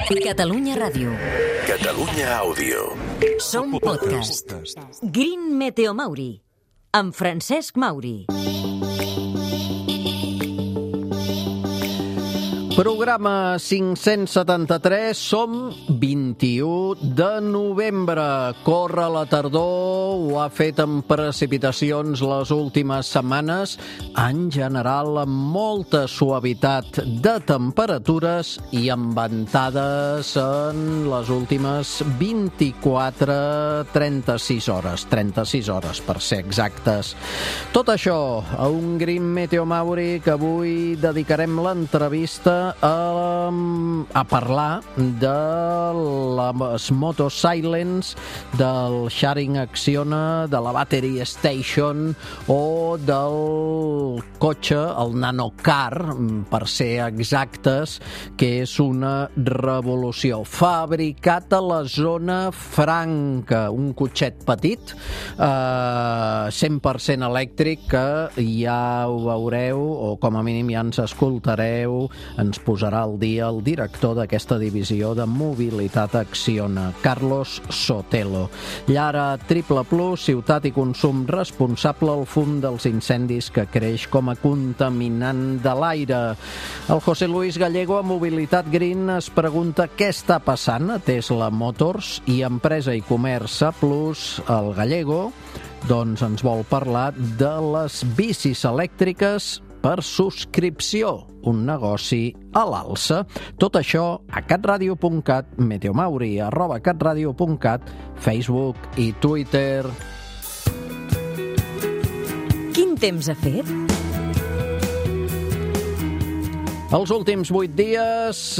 Catalunya Ràdio. Catalunya Àudio. Som podcast. Green Meteo Mauri, amb Francesc Mauri. Programa 573, som 21 de novembre. Corre la tardor, ho ha fet amb precipitacions les últimes setmanes, en general amb molta suavitat de temperatures i amb ventades en les últimes 36 hores per ser exactes. Tot això a un Green Meteo Mauri que avui dedicarem l'entrevista a parlar de les motos Silence, del Sharing Acciona, de la Battery Station o del cotxe, el Nanocar, per ser exactes, que és una revolució. Fabricat a la zona franca, un cotxet petit, 100% elèctric, que ja ho veureu, o com a mínim ja ens escoltareu, ens posarà al dia el director d'aquesta divisió de mobilitat Acciona, Carlos Sotelo. Llara Triple Plus, ciutat i consum responsable, el fum dels incendis que creix com a contaminant de l'aire. El José Luis Gallego, a Mobilitat Green, es pregunta què està passant a Tesla Motors, i Empresa i Comerç A Plus, el Gallego, doncs ens vol parlar de les bicis elèctriques per subscripció, un negoci a l'alça. Tot això a catradio.cat, meteomauri @catradio.cat, Facebook i Twitter. Quin temps ha fet? Els últims 8 dies,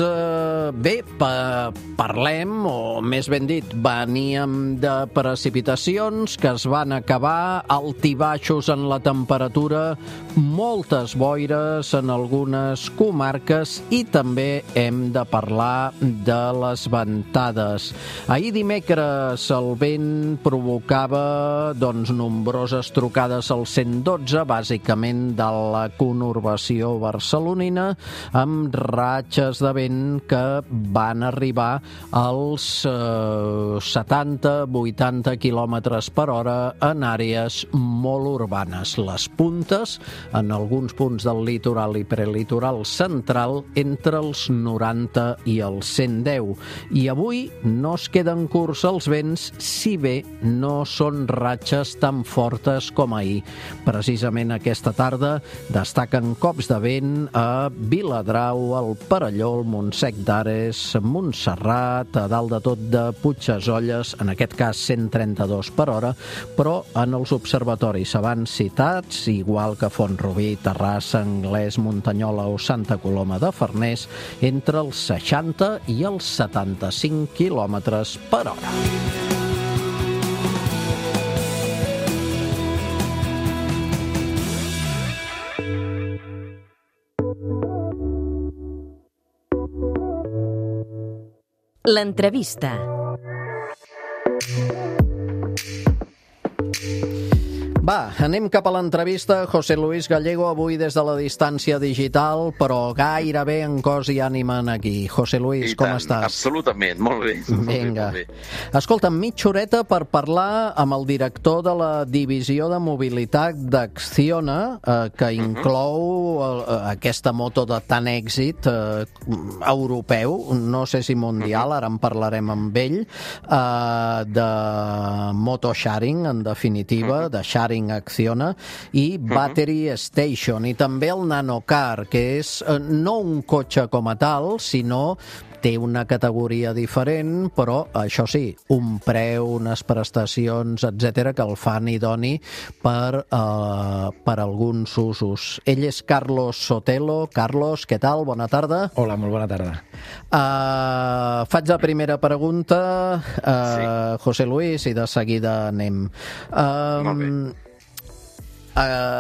parlem, o més ben dit, veníem de precipitacions que es van acabar, altibaixos en la temperatura, moltes boires en algunes comarques i també hem de parlar de les ventades. Ahir dimecres el vent provocava nombroses trucades al 112, bàsicament de la conurbació barcelonina, amb ratxes de vent que van arribar als 70-80 km per hora en àrees molt urbanes. Les puntes, en alguns punts del litoral i prelitoral central, entre els 90 i els 110. I avui no es queden curts els vents, si bé no són ratxes tan fortes com ahir. Precisament aquesta tarda destaquen cops de vent a Viladrau, al Perelló, al Montsec d'Ares, Montserrat, a dalt de tot de Puigdesolles, en aquest cas 132 per hora, però en els observatoris abans citats, igual que Font-rubí, Terrassa, Anglès, Muntanyola o Santa Coloma de Farners, entre els 60 i els 75 quilòmetres per hora. L'entrevista. Va, anem cap a l'entrevista. José Luis Gallego, avui des de la distància digital, però gairebé en cos i ànima aquí. José Luis, com estàs? Absolutament, molt bé. Vinga. Escolta, mitja horeta per parlar amb el director de la divisió de mobilitat d'Acciona, que inclou aquesta moto de tant èxit europeu, no sé si mundial, ara en parlarem amb ell, de moto sharing, en definitiva, de sharing Acciona, i Battery Station, i també el Nanocar, que és no un cotxe com a tal, sinó té una categoria diferent, però això sí, un preu, unes prestacions, etc., que el fan idoni per alguns usos. Ell és Carlos Sotelo. Carlos, què tal? Bona tarda. Hola, molt bona tarda. Faig la primera pregunta, Sí. José Luis, i de seguida anem. Molt bé.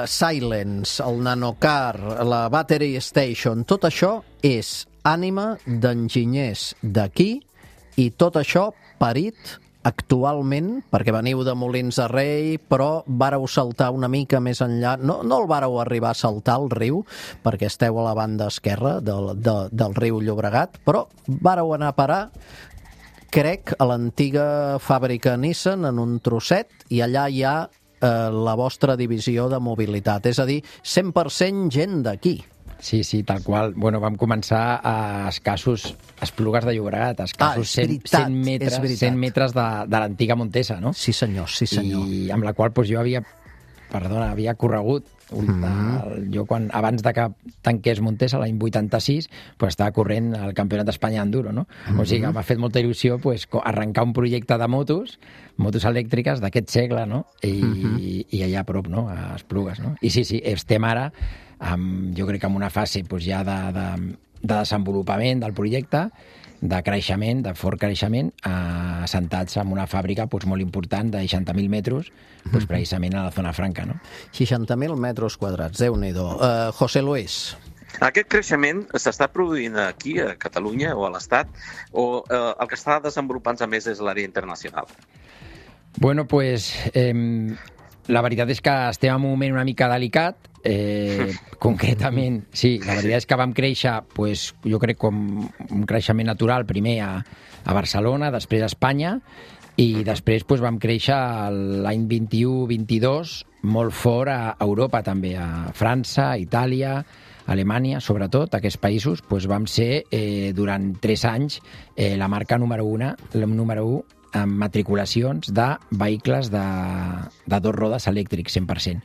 Silence, el Nanocar, la Battery Station, tot això és ànima d'enginyers d'aquí, i tot això parit actualment, perquè veniu de Molins de Rei, però vàreu saltar una mica més enllà, no el vàreu arribar a saltar al riu, perquè esteu a la banda esquerra del riu Llobregat, però vàreu anar a parar, crec, a l'antiga fàbrica Nissan, en un trosset, i allà hi ha la vostra divisió de mobilitat, és a dir, 100% gent d'aquí. Sí, tal qual. Bueno, vam començar a escassos Esplugues de Llobregat, a escassos 100 metres de l'antiga Montesa, no? Sí, senyor. I amb la qual jo havia corregut. Jo, abans de que tanqués Montesa, l'any 86, estava corrent el Campionat d'Espanya d'Enduro, no? O sigui, m'ha fet molta il·lusió arrencar un projecte de motos elèctriques d'aquest segle, no? I allà a prop, no? A Esplugues, no? I sí, estem ara, jo crec que en una fase ja de desenvolupament del projecte, de creixement, de fort creixement, assentats en una fàbrica molt important de 60.000 metres, precisament a la zona franca, no? 60.000 metres quadrats, Déu-n'hi-do. José Luis. Aquest creixement s'està produint aquí, a Catalunya o a l'Estat, o el que està desenvolupant-se més és l'àrea internacional? Bueno, la veritat és que estem en un moment una mica delicat. Concretament, sí, la veritat és que vam créixer, jo crec, com un creixement natural, primer a Barcelona, després a Espanya, i després vam créixer l'any 21-22 molt fort a Europa també, a França, Itàlia, Alemanya, sobretot, aquests països, vam ser durant 3 anys la marca número 1 amb matriculacions de vehicles de 2 rodes elèctrics, 100%.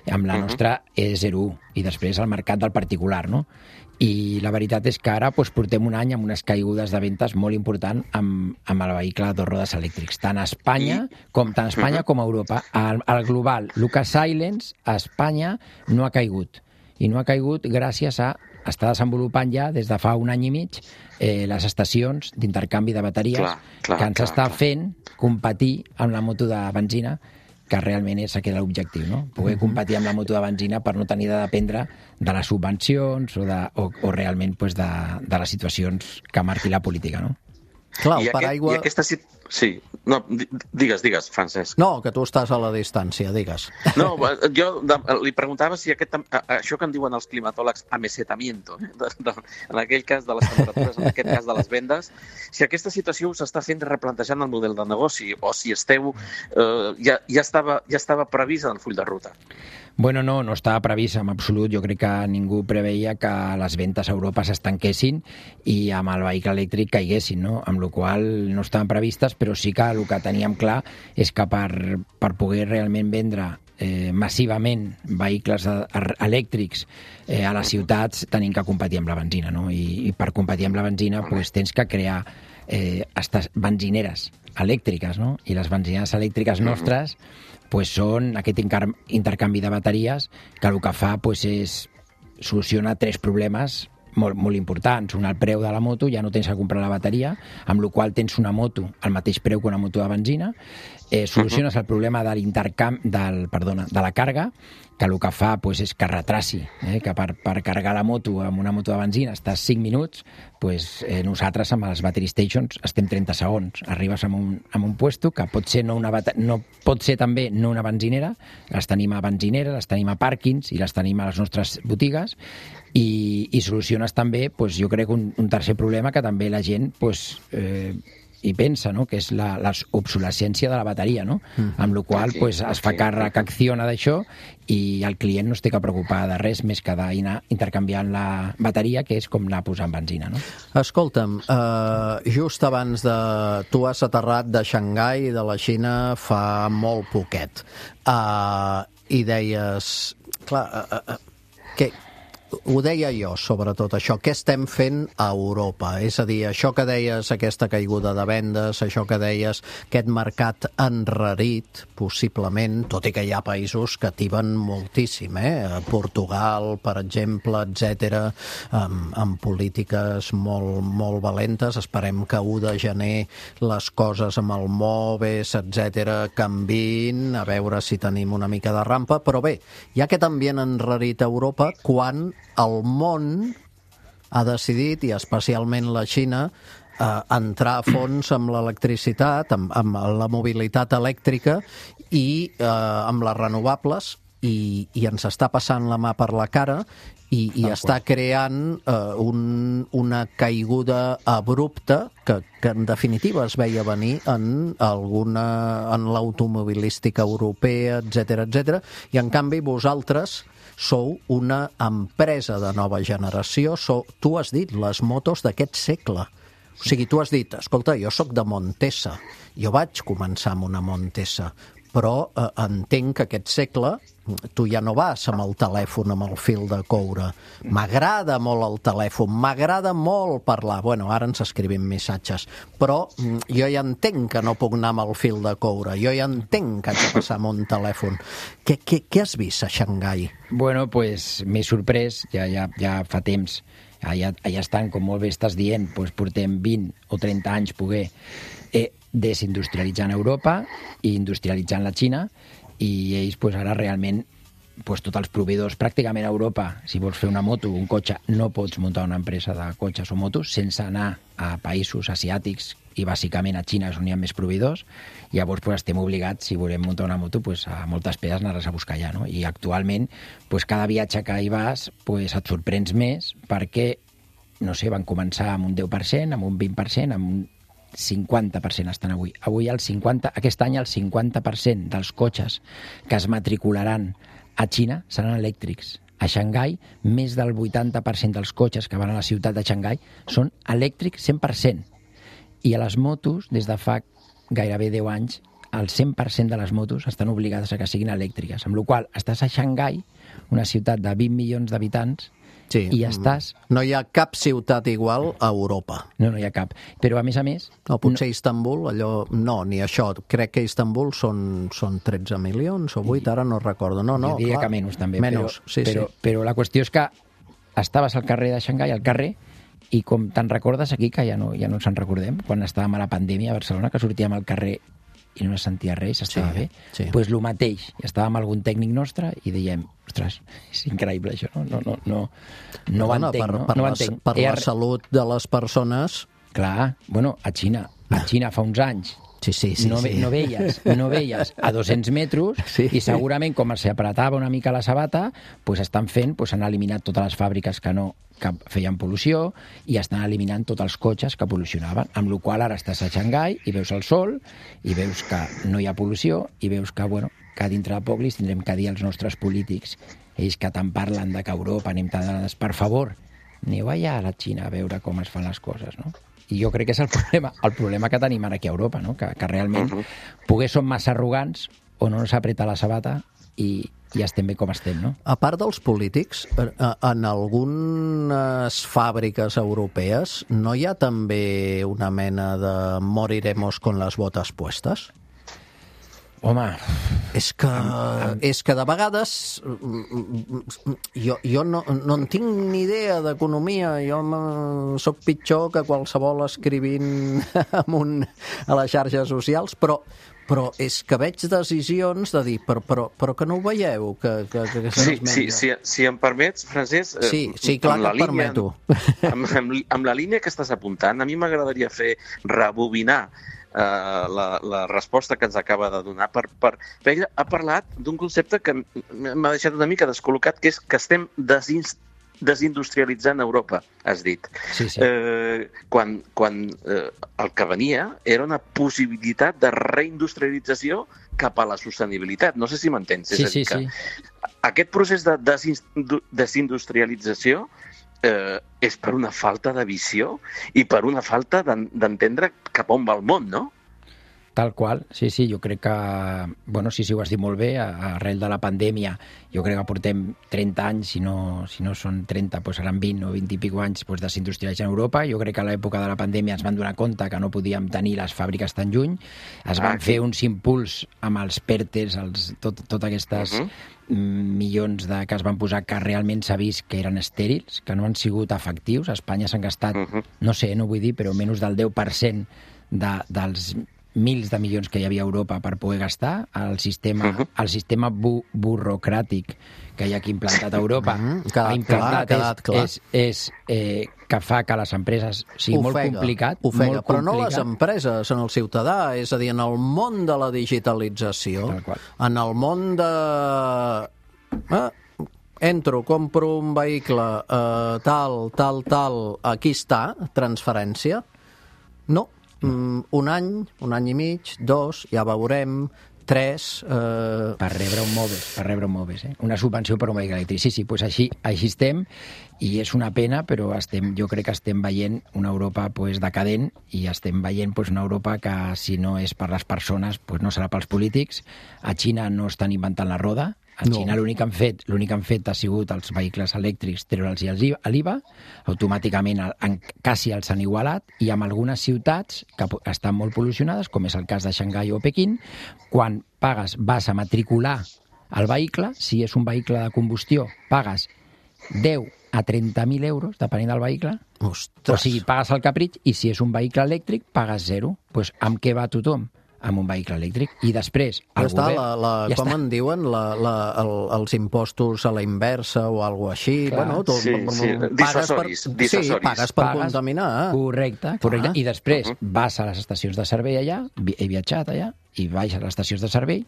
Amb la nostra E01 i després el mercat del particular, no? I la veritat és que ara portem un any amb unes caigudes de ventes molt important amb el vehicle de 2 rodes elèctrics, tant a Espanya com a Europa. Al global, Lucas Silence a Espanya no ha caigut, i no ha caigut gràcies a estar desenvolupant ja des de fa un any i mig les estacions d'intercanvi de bateries que ens està fent competir amb la moto de benzina, que realment és aquest l'objectiu, no? Poder competir amb la moto de benzina per no tenir de dependre de les subvencions o realment de les situacions que marqui la política, no? Clar, el paraigua... Sí, no, digues, Francesc. No, que tu estàs a la distància, digues. No, jo li preguntava si això que en diuen els climatòlegs amesetamiento, en aquell cas de les temperatures, en aquest cas de les vendes, si aquesta situació us està fent replantejant el model de negoci o si esteu ja estava previst en el full de ruta. Bueno, no estava previst en absolut. Jo crec que ningú preveia que les ventes a Europa s'estanquessin i amb el vehicle elèctric caiguessin, no? Amb la qual cosa no estaven previstes, però sí que el que teníem clar és que per poder realment vendre massivament vehicles elèctrics a les ciutats tenim que competir amb la benzina, no? I per competir amb la benzina tens que crear benzineres elèctriques, no? I les benzineres elèctriques nostres són aquest intercanvi de bateries que el que fa és soluciona 3 problemes molt importants. Un, el preu de la moto, ja no tens que comprar la bateria, amb la qual tens una moto al mateix preu que una moto de benzina. Soluciones el problema de la càrrega, que el que fa és que retraci, que per carregar la moto amb una moto de benzina estàs 5 minuts, nosaltres amb les battery stations estem 30 segons. Arribes a un puesto que pot ser també no una benzinera, les tenim a benzineres, les tenim a pàrquings i les tenim a les nostres botigues, i soluciones també, jo crec, un tercer problema que també la gent hi pensa, no? Que és l'obsolescència de la bateria, no? Amb la qual cosa es fa càrrec, acciona d'això, i el client no es té que preocupar de res més que d'anar intercanviant la bateria, que és com anar posant benzina, no? Escolta'm, just abans de... Tu has aterrat de Xangai, de la Xina, fa molt poquet. I deies... Clar, ho deia jo, sobretot això. Què estem fent a Europa? És a dir, això que deies, aquesta caiguda de vendes, això que deies, aquest mercat enrarit, possiblement, tot i que hi ha països que tiben moltíssim, Portugal, per exemple, etc., amb polítiques molt valentes. Esperem que 1 de gener les coses amb el MOVES, etc., canviïn, a veure si tenim una mica de rampa. Però bé, hi ha aquest ambient enrarit a Europa quan el món ha decidit, i especialment la Xina, entrar a fons amb l'electricitat, amb la mobilitat elèctrica i amb les renovables, i ens està passant la mà per la cara i està creant una caiguda abrupta que en definitiva es veia venir en l'automobilística europea, etc. I en canvi vosaltres sou una empresa de nova generació, tu has dit les motos d'aquest segle. O sigui, tu has dit, escolta, jo sóc de Montesa, jo vaig començar amb una Montesa, però entenc que aquest segle tu ja no vas amb el telèfon amb el fil de coure. M'agrada molt el telèfon, m'agrada molt parlar. Bueno, ara ens escrivim missatges, però jo ja entenc que no puc anar amb el fil de coure, jo ja entenc que haig de passar amb un telèfon. Què has vist a Xangai? Bueno, pues m'he sorprès, ja fa temps. Allà estan, com molt bé estàs dient, doncs portem 20 o 30 anys poder desindustrialitzant Europa i industrialitzant la Xina, i ells ara realment tots els proveïdors pràcticament a Europa, si vols fer una moto, un cotxe, no pots muntar una empresa de cotxes o motos sense anar a països asiàtics i bàsicament a Xina, és on hi ha més proveïdors. Llavors estem obligats, si volem muntar una moto, a moltes peces anar-les a buscar allà, no? I actualment cada viatge que hi vas et sorprens més perquè, no sé, van començar amb un 10%, amb un 20%, amb un 50% estan avui. Aquest any el 50% dels cotxes que es matricularan a Xina seran elèctrics. A Xangai, més del 80% dels cotxes que van a la ciutat de Xangai són elèctrics 100%. I a les motos, des de fa gairebé 10 anys, el 100% de les motos estan obligades a que siguin elèctriques. Amb la qual cosa, estàs a Xangai, una ciutat de 20 milions d'habitants, sí, i estàs... No hi ha cap ciutat igual a Europa. No hi ha cap. Però, a més... No, potser Istanbul, no, ni això. Crec que Istanbul són 13 milions o 8, ara no recordo. No, jo diria que menys, també. Menys, però la qüestió és que estaves al carrer de Xangai, al carrer, i com te'n recordes aquí, que ja no ens en recordem, quan estàvem a la pandèmia a Barcelona, que sortíem al carrer i no es sentia res, estava bé. Doncs el mateix. Estàvem amb algun tècnic nostre i dèiem, ostres, és increïble això, no ho entenc. Per la salut de les persones... Clar, a Xina fa uns anys no veies a 200 metres i segurament com se apretava una mica la sabata, estan fent, han eliminat totes les fàbriques que feien pol·lució i estan eliminant tots els cotxes que pol·lucionaven, amb la qual cosa ara estàs a Xangai i veus el sol i veus que no hi ha pol·lució i veus que dintre de poc li tindrem que dir als nostres polítics, ells que tant parlen de que Europa anem tant, per favor, aneu allà a la Xina a veure com es fan les coses, no? I jo crec que és el problema que tenim ara aquí a Europa, no? Que realment poder som massa arrogants o no s'apreta la sabata i estem bé com estem, no? A part dels polítics, en algunes fàbriques europees no hi ha també una mena de moriremos con las botas puestas? Home... És que de vegades jo no en tinc ni idea d'economia, jo sóc pitjor que qualsevol escrivint a les xarxes socials, però és que veig decisions de dir, però que no ho veieu, si em permets, Francesc... Sí, clar que et permeto. Amb la línia que estàs apuntant, a mi m'agradaria rebobinar la resposta que ens acaba de donar, perquè ella ha parlat d'un concepte que m'ha deixat una mica descol·locat, que és que estem desindustrialitzant Europa, has dit. Sí. Quan el que venia era una possibilitat de reindustrialització cap a la sostenibilitat. No sé si m'entens. Sí. Aquest procés de desindustrialització és per una falta de visió i per una falta d'entendre cap on va el món, no? Tal qual, sí, jo crec que... Sí, ho has dit molt bé, arrel de la pandèmia, jo crec que portem 30 anys, si no són 30, seran 20 o 20 i pico anys desindustrialitzant Europa. Jo crec que a l'època de la pandèmia ens van donar compte que no podíem tenir les fàbriques tan lluny, es van fer uns impuls amb els PERTEs, totes aquestes milions que es van posar que realment s'ha vist que eren estèrils, que no han sigut efectius. A Espanya s'han gastat, no vull dir, però menys del 10% dels mils de milions que hi havia a Europa per poder gastar. El sistema burocràtic que hi ha aquí implantat a Europa ha implantat és que fa que les empreses sigui molt complicat. Ofega, però no les empreses, en el ciutadà, és a dir, en el món de la digitalització, en el món de... Entro, compro un vehicle, tal, aquí està, transferència. No, un any i mig, 2, ja veurem, 3... Per rebre un Moves, una subvenció per un vehicle elèctric. Sí, doncs així estem, i és una pena, però jo crec que estem veient una Europa decadent, i estem veient una Europa que, si no és per les persones, no serà pels polítics. A Xina no estan inventant la roda. A Xina l'únic que han fet ha sigut els vehicles elèctrics treure'ls l'IVA, automàticament quasi els han igualat, i amb algunes ciutats que estan molt pol·lucionades, com és el cas de Xangai o Pequín, quan vas a matricular el vehicle, si és un vehicle de combustió, pagues 10 a 30.000 euros, depenent del vehicle. Ostres. O sigui, pagues el capritx, i si és un vehicle elèctric, pagues 0. Doncs amb què va tothom? Amb un vehicle elèctric. I després el govern... Com en diuen? Els impostos a la inversa o alguna cosa així. Bueno, dissuasoris. Pagues per contaminar. Correcte. I després vas a les estacions de servei allà, he viatjat allà, i vaig a les estacions de servei,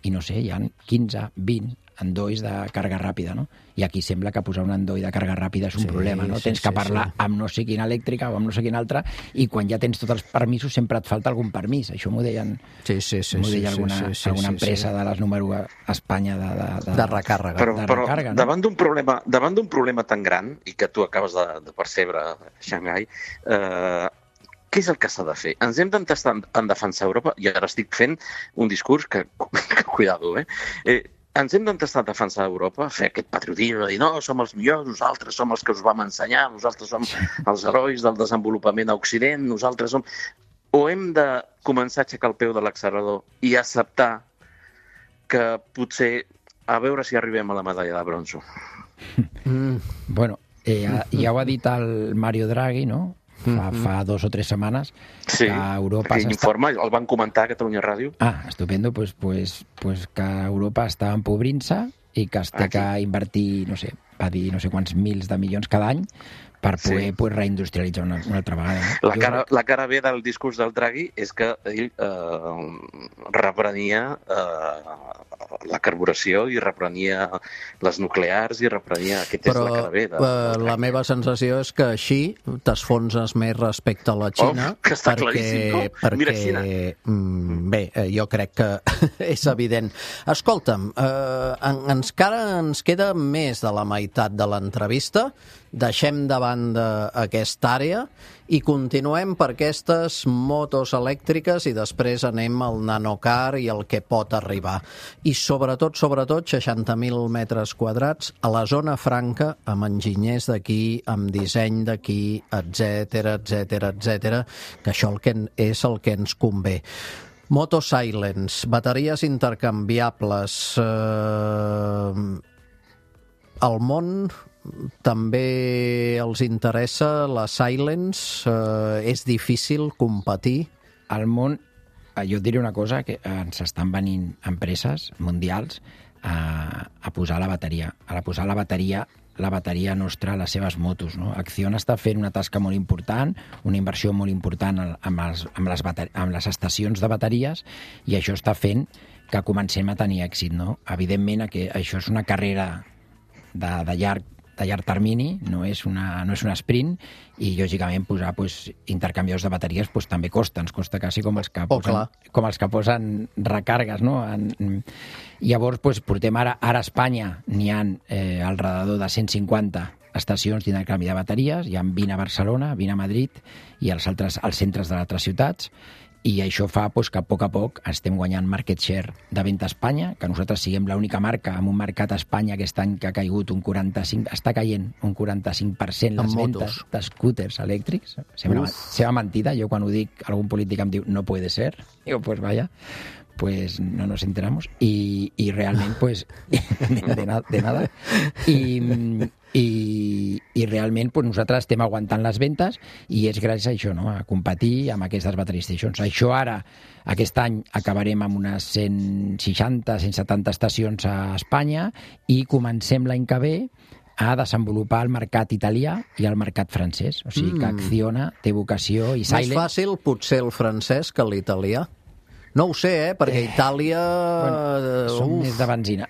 i no sé, hi ha 15, 20 endolls de càrrega ràpida, no? I aquí sembla que posar un endoll de càrrega ràpida és un problema, no? Tens que parlar amb no sé quina elèctrica o amb no sé quina altra, i quan ja tens tots els permisos sempre et falta algun permís. Això m'ho deien alguna empresa de les número a Espanya de recàrrega. Però davant d'un problema tan gran, i que tu acabes de percebre, Xangai, què és el que s'ha de fer? Ens hem d'entestar en defensar Europa, i ara estic fent un discurs que cuidado, ens hem d'entestar a defensar Europa, fer aquest patriotisme, de dir, no, som els millors, nosaltres som els que us vam ensenyar, nosaltres som els herois del desenvolupament a Occident, nosaltres som... O hem de començar a aixecar el peu de l'accelerador i acceptar que potser a veure si arribem a la medalla de bronzo? Bueno, ja ho ha dit el Mario Draghi, no? Fa 2 o 3 setmanes que Europa... Aquell informe el van comentar a Catalunya Ràdio. Estupendo, pues que Europa està empobrint-se i que es té que invertir, no sé, va dir no sé quants mils de milions cada any per poder reindustrialitzar una altra vegada. La cara B del discurs del Draghi és que ell reprenia la carburació i reprenia les nuclears i reprenia... Aquesta és la cara B. La meva sensació és que així t'esfonses més respecte a la Xina. Que està claríssim, no? Mira Xina. Bé, jo crec que és evident. Escolta'm, encara ens queda més de la meitat de l'entrevista. Deixem de banda aquesta àrea i continuem per aquestes motos elèctriques i després anem al nanocar i el que pot arribar. I sobretot, 60.000 metres quadrats a la zona franca, amb enginyers d'aquí, amb disseny d'aquí, etcètera, que això és el que ens convé. Moto Silence, bateries intercanviables. El món també els interessa la Silence? És difícil competir? Al món, jo et diré una cosa, que ens estan venint empreses mundials a posar la bateria. A posar la bateria nostra a les seves motos, no? Acciona està fent una tasca molt important, una inversió molt important amb les estacions de bateries, i això està fent que comencem a tenir èxit, no? Evidentment que això és una carrera de llarg termini, no és un sprint, i lògicament posar intercanviadors de bateries també costa, ens costa quasi com els que posen recàrregues, no? Llavors portem ara a Espanya n'hi ha al redador de 150 estacions d'intercanvi de bateries, hi ha 20 a Barcelona, 20 a Madrid i els centres de altres ciutats, i això fa que a poc estem guanyant market share de venda a Espanya, que nosaltres siguem l'única marca amb un mercat a Espanya aquest any que ha caigut està caient un 45% les ventes d'escúters elèctrics. Sembla mentida, jo quan ho dic algun polític em diu no puede ser, digo pues vaya, pues no nos enteramos, y realment de nada, i realment nosaltres estem aguantant les ventes, i és gràcies a això, no? A competir amb aquestes battery stations. Això ara, aquest any, acabarem amb unes 160-170 estacions a Espanya, i comencem l'any que ve a desenvolupar el mercat italià i el mercat francès. O sigui que Acciona té vocació i Silent... Més fàcil potser el francès que l'italià. No ho sé, perquè Itàlia... Són més de benzina.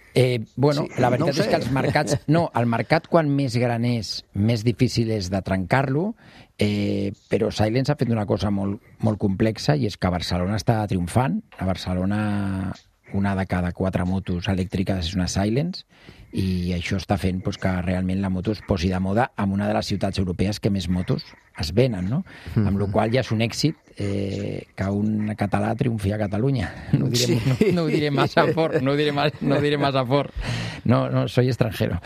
La veritat és que els mercats... No, el mercat quan més gran és, més difícil és de trencar-lo, però Silence ha fet una cosa molt, molt complexa i és que Barcelona està triomfant. A Barcelona una de cada 4 motos elèctriques és una Silence i això està fent que realment la moto es posi de moda en una de les ciutats europees que més motos es venen, no? Amb la qual ja és un èxit que un català triomfi a Catalunya. No ho diré massa fort, no ho diré massa fort. No, soy extranjero.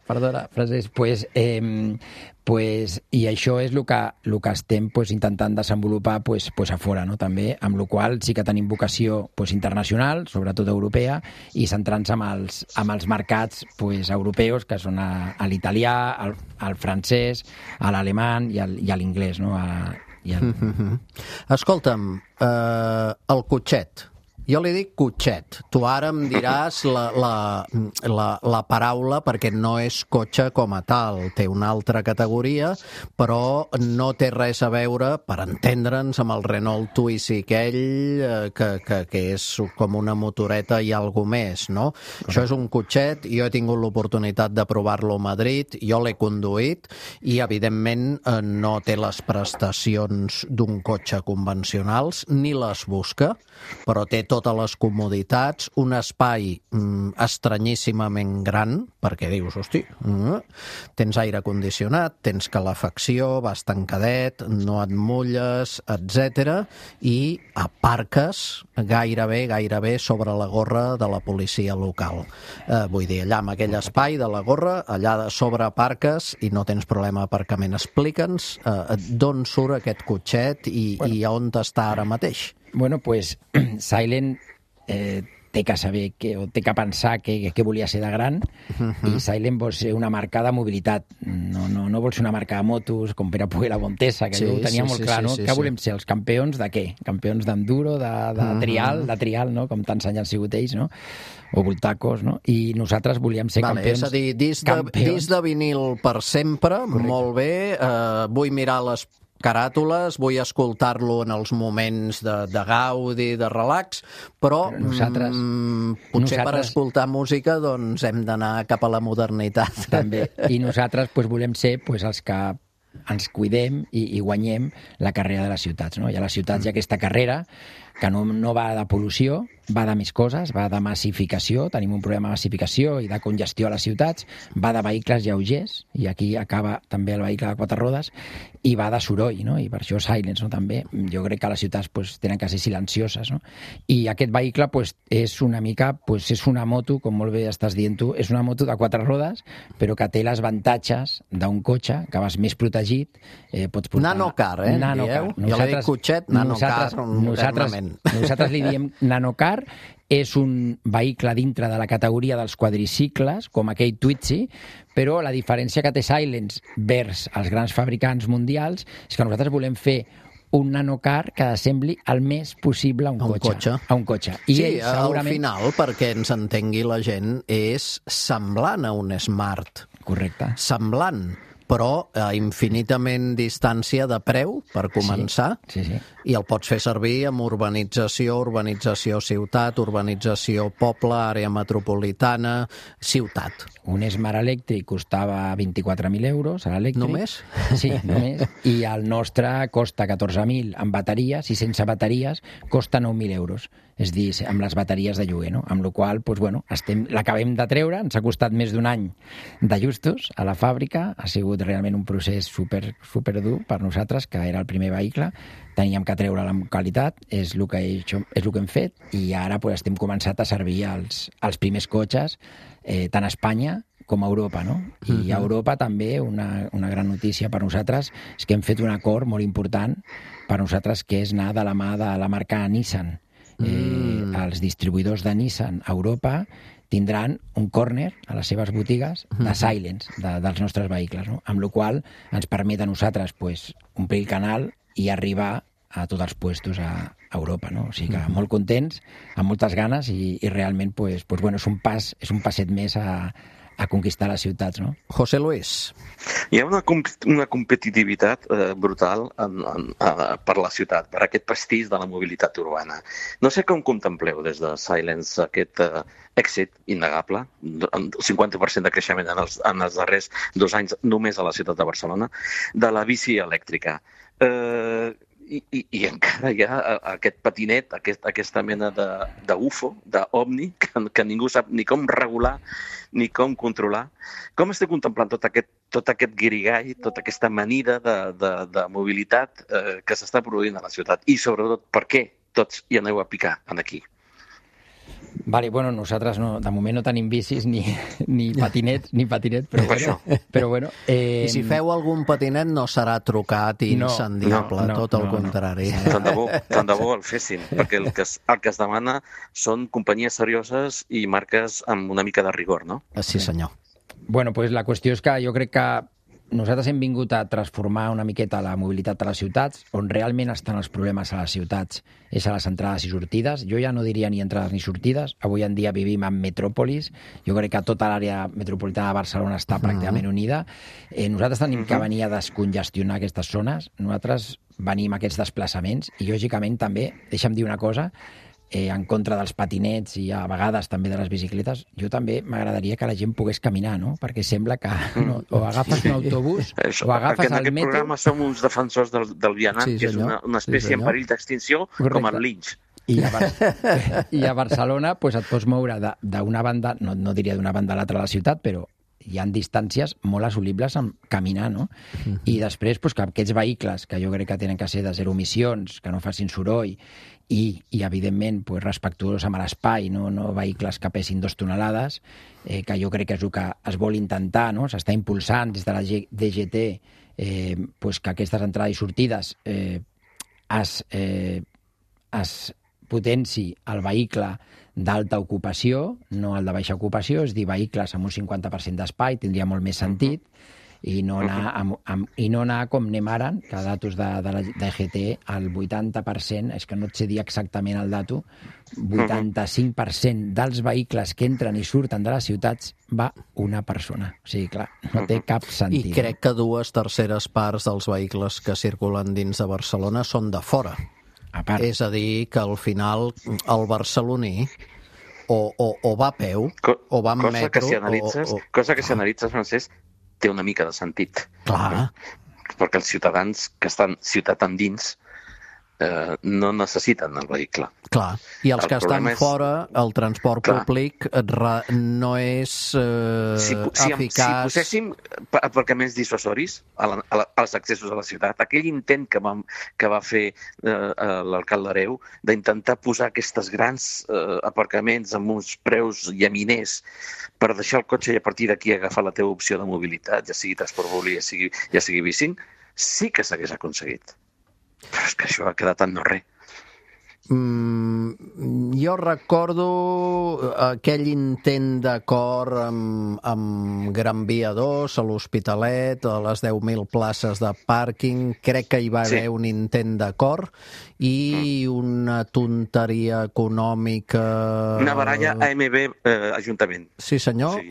Perdona, Francesc. I això és el que estem intentant desenvolupar a fora, no? També, amb la qual sí que tenim vocació internacional, sobretot europea, i centrant-se amb els mercats europeus, que són l'italià, el francès, l'alemany i l'inglès, no? Escolta'm, el cotxet. Jo li dic cotxet. Tu ara em diràs la paraula perquè no és cotxe com a tal. Té una altra categoria, però no té res a veure, per entendre'ns, amb el Renault Twizy aquell, que és com una motoreta i alguna més, no? Això és un cotxet. Jo he tingut l'oportunitat de provar-lo a Madrid, jo l'he conduït i, evidentment, no té les prestacions d'un cotxe convencionals, ni les busca, però té totes les comoditats, un espai estranyíssimament gran, perquè dius, hosti, tens aire condicionat, tens calefacció, vas tancadet, no et mulles, etc. I aparques gairebé sobre la gorra de la policia local. Vull dir, allà amb aquell espai de la gorra, allà de sobre aparques i no tens problema d'aparcament. Explica'ns d'on surt aquest cotxet i on està ara mateix. Bueno, pues Silent té que saber o té que pensar què volia ser de gran i Silent vol ser una marca de mobilitat. No vol ser una marca de motos com Pere Puig i la Montesa, que jo ho tenia molt clar, no? Què volem ser? Els campions de què? Campions d'enduro, de trial, no? Com tants anys han sigut ells, no? O voltacos, no? I nosaltres volíem ser campions. És a dir, disc de vinil per sempre, molt bé, vull mirar les caràtules, vull escoltar-lo en els moments de gaudi, de relax, però potser per escoltar música doncs hem d'anar cap a la modernitat. També. I nosaltres volem ser els que ens cuidem i guanyem la carrera de les ciutats, no? I a les ciutats hi ha aquesta carrera que no va de pol·lució, va de més coses, va de massificació, tenim un problema de massificació i de congestió a les ciutats, va de vehicles lleugers, i aquí acaba també el vehicle de 4 rodes, i va de soroll, no? I per això Silence, no? També, jo crec que les ciutats tenen que ser silencioses, no? I aquest vehicle és una mica, és una moto, com molt bé estàs dient tu, és una moto de 4 rodes, però que té les avantatges d'un cotxe, que vas més protegit, pots portar... Nanocar, dieu? Jo li dic cotxet, nanocar, nosaltres li diem nanocar. És un vehicle dintre de la categoria dels quadricicles, com aquell Twizy, però la diferència que té Silence vers els grans fabricants mundials és que nosaltres volem fer un nanocar que assembli el més possible a un cotxe. I sí, segurament... al final, perquè ens entengui la gent, és semblant a un Smart. Correcte. Semblant, però a infinitament distància de preu, per començar, sí. I el pots fer servir amb urbanització ciutat, urbanització poble, àrea metropolitana, ciutat. Un Smart elèctric costava 24.000 euros, l'elèctric. Només? Sí, només. I el nostre costa 14.000 amb bateries, i sense bateries costa 9.000 euros. És dir, amb les bateries de lloguer, no? Amb la qual cosa, l'acabem de treure, ens ha costat més d'1 any d'ajustos a la fàbrica, ha sigut realment un procés super dur per nosaltres, que era el primer vehicle, teníem que treure la qualitat, és el que hem fet, i ara estem començant a servir els primers cotxes, tant a Espanya com a Europa, no? I a Europa també una gran notícia per nosaltres és que hem fet un acord molt important per nosaltres, que és anar de la mà de la marca Nissan. Els distribuïdors de Nissan a Europa tindran un córner a les seves botigues de Silence, dels nostres vehicles, no? Amb la qual ens permet a nosaltres omplir el canal i arribar a tots els puestos a Europa, no? O sigui que molt contents, amb moltes ganes i realment és un passet més a a conquistar les ciutats, no? José Luis. Hi ha una competitivitat brutal per la ciutat, per aquest pastís de la mobilitat urbana. No sé com contempleu des de Silence aquest èxit innegable, amb 50% de creixement en els darrers 2 anys només a la ciutat de Barcelona, de la bici elèctrica. I encara hi ha aquest patinet, aquesta mena d'UFO, d'OVNI, que ningú sap ni com regular ni com controlar. Com esteu contemplant tot aquest guirigall, tota aquesta amanida de mobilitat que s'està produint a la ciutat? I sobretot, per què tots hi aneu a picar aquí? Vale, bueno, nosaltres no, de moment no tenim bicis ni patinet, però bueno. I si feu algun patinet no serà trucat i incendiable, tot el contrari. Tant de bo el fessin, perquè el que es demana són companyies serioses i marques amb una mica de rigor, no? Sí, senyor. Bueno, pues la qüestió és que jo crec que nosaltres hem vingut a transformar una miqueta la mobilitat de les ciutats, on realment estan els problemes a les ciutats és a les entrades i sortides. Jo ja no diria ni entrades ni sortides. Avui en dia vivim en metròpolis. Jo crec que tota l'àrea metropolitana de Barcelona està pràcticament unida. Nosaltres tenim que venir a descongestionar aquestes zones. Nosaltres venim a aquests desplaçaments i, lògicament, també, deixa'm dir una cosa, en contra dels patinets i a vegades també de les bicicletes, jo també m'agradaria que la gent pogués caminar, no? Perquè sembla que o agafes un autobús o agafes el metro... En aquest programa som uns defensors del vianant, que és una espècie en perill d'extinció, com el linx. I a Barcelona pues, et pots moure d'una banda, no diria d'una banda a l'altra de la ciutat, però hi ha distàncies molt assolibles amb caminar, no? I després pues, que aquests vehicles, que jo crec que tenen que ser de zero emissions, que no facin soroll, i evidentment, pues, respectuós amb l'espai, no vehicles que pesin 2 tonelades, que jo crec que és el que es vol intentar, no? S'està impulsant des de la DGT pues, que aquestes entrades i sortides es potenci el vehicle d'alta ocupació, no el de baixa ocupació, és dir, vehicles amb un 50% d'espai, tindria molt més sentit, i no anar com anem ara, que datos de la DGT, el 80%, és que no et sé dir exactament el dato, 85% dels vehicles que entren i surten de les ciutats va una persona. O sigui, clar, no té cap sentit. I crec que 2/3 parts dels vehicles que circulen dins de Barcelona són de fora. És a dir, que al final el barceloní o va a peu o va en metro... Cosa que si analitzes, Francesc, té una mica de sentit. Clar. Perquè els ciutadans que estan ciutat endins no necessiten el vehicle. Clar, i els que estan fora, el transport públic no és eficaç... Si poséssim aparcaments dissuasoris als accessos a la ciutat, aquell intent que va fer l'alcalde Hereu d'intentar posar aquests grans aparcaments amb uns preus llaminers per deixar el cotxe i a partir d'aquí agafar la teva opció de mobilitat, ja sigui transport públic, ja sigui bicing, sí que s'hagués aconseguit. Però és que això ha quedat en no res. Jo recordo aquell intent d'acord amb Gran Via 2 a l'Hospitalet, a les 10.000 places de pàrquing. Crec que hi va haver un intent d'acord i una tonteria econòmica... Una baralla AMB Ajuntament. Sí, senyor.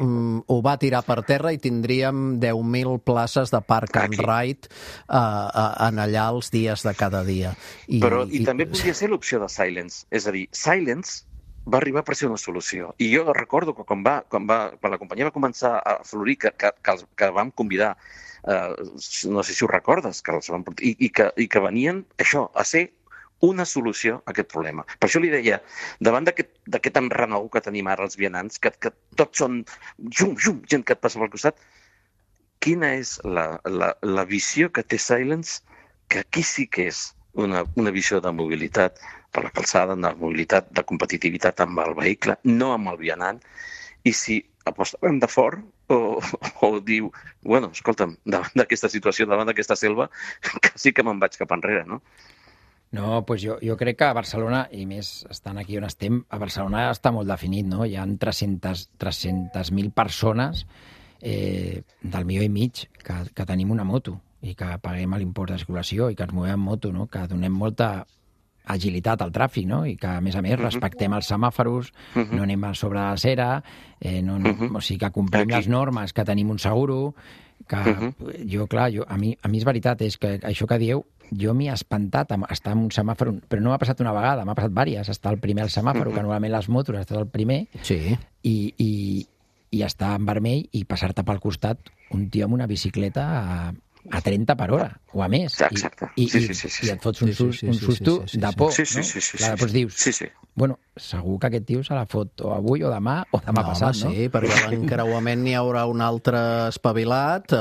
Ho va tirar per terra i tindríem 10.000 places de park and ride en allà els dies de cada dia. Però també podria ser l'opció de Silence. És a dir, Silence va arribar per ser una solució. I jo recordo que quan la companyia va començar a florir, que vam convidar, no sé si ho recordes, i que venien això, a ser una solució a aquest problema. Per això li deia, davant d'aquest enrenou que tenim ara els vianants, que tots són gent que et passa pel costat, quina és la visió que té Silence, que aquí sí que és una visió de mobilitat per la calçada, de mobilitat, de competitivitat amb el vehicle, no amb el vianant, i si apostem de fort o diu, bueno, escolta'm, davant d'aquesta situació, davant d'aquesta selva, que sí que me'n vaig cap enrere, no? No, doncs jo crec que a Barcelona, i més estant aquí on estem, a Barcelona està molt definit, no? Hi ha 300.000 persones del milió i mig que tenim una moto i que paguem l'impost de circulació i que ens movem en moto, no? Que donem molta agilitat al tràfic, no? I que, a més, respectem els semàforos, no anem a sobre la cera, o sigui, que complim les normes, que tenim un seguro, que a mi és veritat, és que això que dieu, jo m'hi he espantat estar en un semàfor, però no m'ha passat una vegada, m'ha passat diverses, estar al primer al semàfor, que normalment les motos estàs al primer, i estar en vermell i passar-te pel costat un tio amb una bicicleta a 30 per hora, o a més. Exacte. I et fots un susto de por, no? Després dius, bueno, segur que aquest tio se la fot o avui o demà passat, no? Sí, perquè a l'encreuament n'hi haurà un altre espavilat,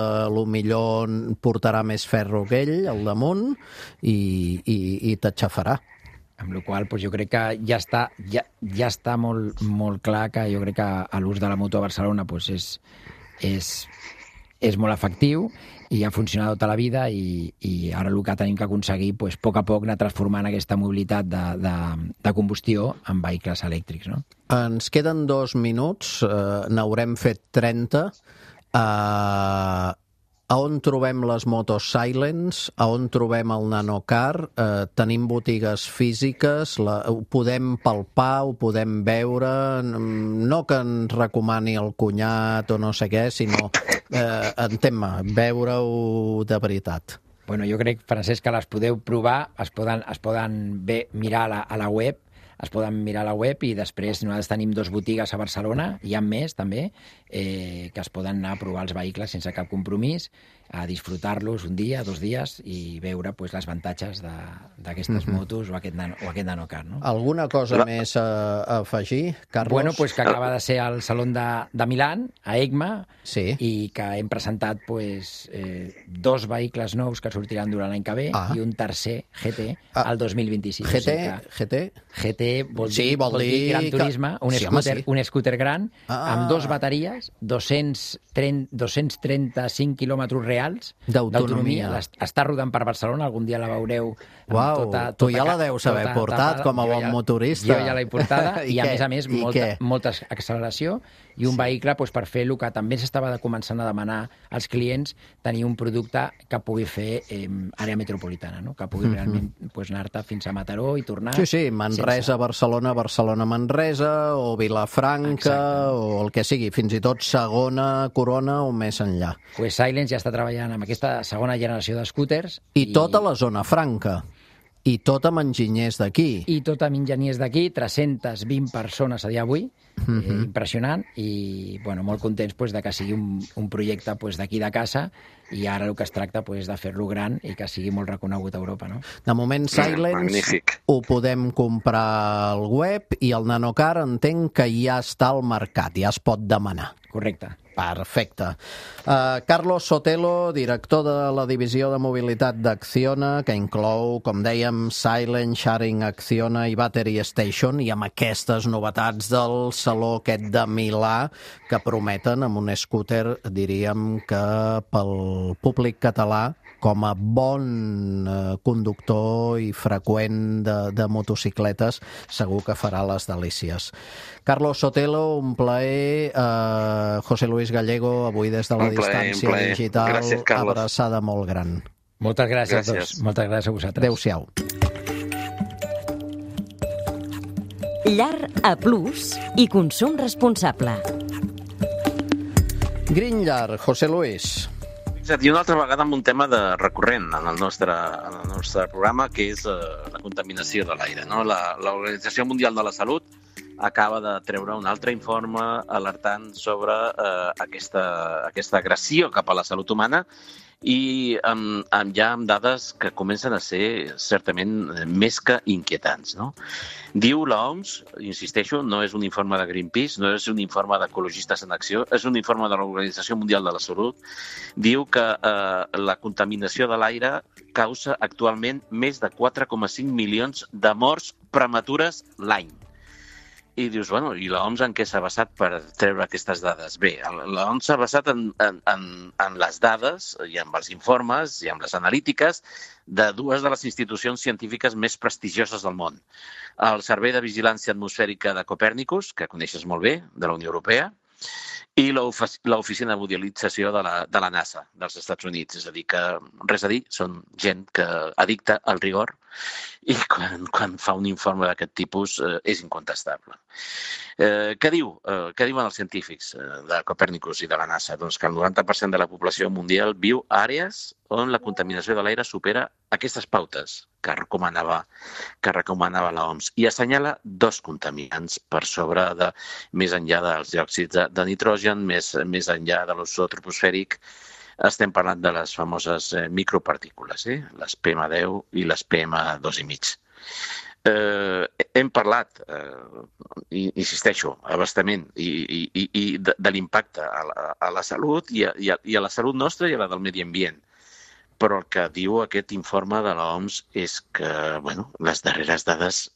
millor portarà més ferro que ell al damunt i t'aixafarà. Amb la qual cosa jo crec que ja està molt clar que jo crec que l'ús de la moto a Barcelona és molt efectiu i ha funcionat tota la vida i ara el que tenim que aconseguir, a poc a poc, anar transformant aquesta mobilitat de combustió en vehicles elèctrics, no? Ens queden 2 minuts, n'haurem fet 30. A on trobem les motos Silence? A on trobem el nanocar? Tenim botigues físiques? Ho podem palpar? Ho podem veure? No que ens recomani el cunyat o no sé què, sinó, entén-me, veure-ho de veritat. Bueno, jo crec, Francesc, que les podeu provar, es poden mirar a la web, i després nosaltres tenim 2 botigues a Barcelona, hi ha més també, que es poden anar a provar els vehicles sense cap compromís, a disfrutar-los un dia, 2 dies i veure les avantatges d'aquestes motos o aquest nanocar, no? Alguna cosa més a afegir, Carlos? Bueno, que acaba de ser al Salón de Milán, a EICMA, i que hem presentat 2 vehicles nous que sortiran durant l'any que ve i un tercer GT al 2026. GT vol dir Gran Turisme, un scooter gran, amb 2 bateries, 235 quilòmetres reals d'autonomia. Està rodant per Barcelona, algun dia la veureu. Uau, tu ja la deus haver portat com a bon motorista. Jo ja l'he portada i a més, molta acceleració i un vehicle per fer el que també s'estava començant a demanar als clients, tenir un producte que pugui fer àrea metropolitana, no? Que pugui realment anar-te fins a Mataró i tornar. Sí, Manresa, Barcelona, Manresa, o Vilafranca, o el que sigui, fins i tot segona corona o més enllà. Silence ja està treballant amb aquesta segona generació de scooters. I tota la zona franca. I tot amb enginyers d'aquí. I tot amb enginyers d'aquí, 320 persones a dia d'avui, impressionant, i molt contents de que sigui un projecte d'aquí de casa, i ara el que es tracta de fer-lo gran i que sigui molt reconegut a Europa, no? De moment, Silence ho podem comprar al web i el nanocar entenc que ja està al mercat, ja es pot demanar. Correcte. Perfecte. Carlos Sotelo, director de la divisió de mobilitat d'Acciona, que inclou, com dèiem, Silent Sharing Acciona i Battery Station, i amb aquestes novetats del saló aquest de Milà, que prometen amb un scooter, diríem que pel públic català, com a bon conductor i freqüent de motocicletes, segur que farà les delícies. Carlos Sotelo, un plaer. José Luis Gallego, avui des de la distància digital, gràcies, abraçada molt gran. Moltes gràcies a tots. Moltes gràcies a vosaltres. Adéu-siau. Llar A+ i consum responsable. Green Llar, José Luis. I una altra vegada amb un tema recurrent en el nostre programa, que és la contaminació de l'aire, no? L'Organització Mundial de la Salut acaba de treure un altre informe alertant sobre aquesta agressió cap a la salut humana i ja amb dades que comencen a ser certament més que inquietants, no? Diu l'OMS, insisteixo, no és un informe de Greenpeace, no és un informe d'Ecologistes en Acció, és un informe de l'Organització Mundial de la Salut, diu que la contaminació de l'aire causa actualment més de 4,5 milions de morts prematures l'any. I dius, bueno, i l'OMS en què s'ha basat per treure aquestes dades? Bé, l'OMS s'ha basat en les dades i en els informes i en les analítiques de 2 de les institucions científiques més prestigioses del món. El Servei de Vigilància Atmosfèrica de Copèrnicus, que coneixes molt bé, de la Unió Europea, i l'Oficina de Modelització de la NASA, dels Estats Units. És a dir, que res a dir, són gent que addicta al rigor I quan fa un informe d'aquest tipus és incontestable. Què diuen els científics de Copernicus i de la NASA? Doncs que el 90% de la població mundial viu a àrees on la contaminació de l'aire supera aquestes pautes que recomanava l'OMS i assenyala 2 contaminants per sobre de, més enllà dels diòxids de nitrogen, més enllà de l'ozó troposfèric. Estem parlant de les famoses micropartícules, les PM10 i les PM2,5. Hem parlat, insisteixo, abastament i de l'impacte a la salut i a la salut nostra i a la del medi ambient. Però el que diu aquest informe de l'OMS és que les darreres dades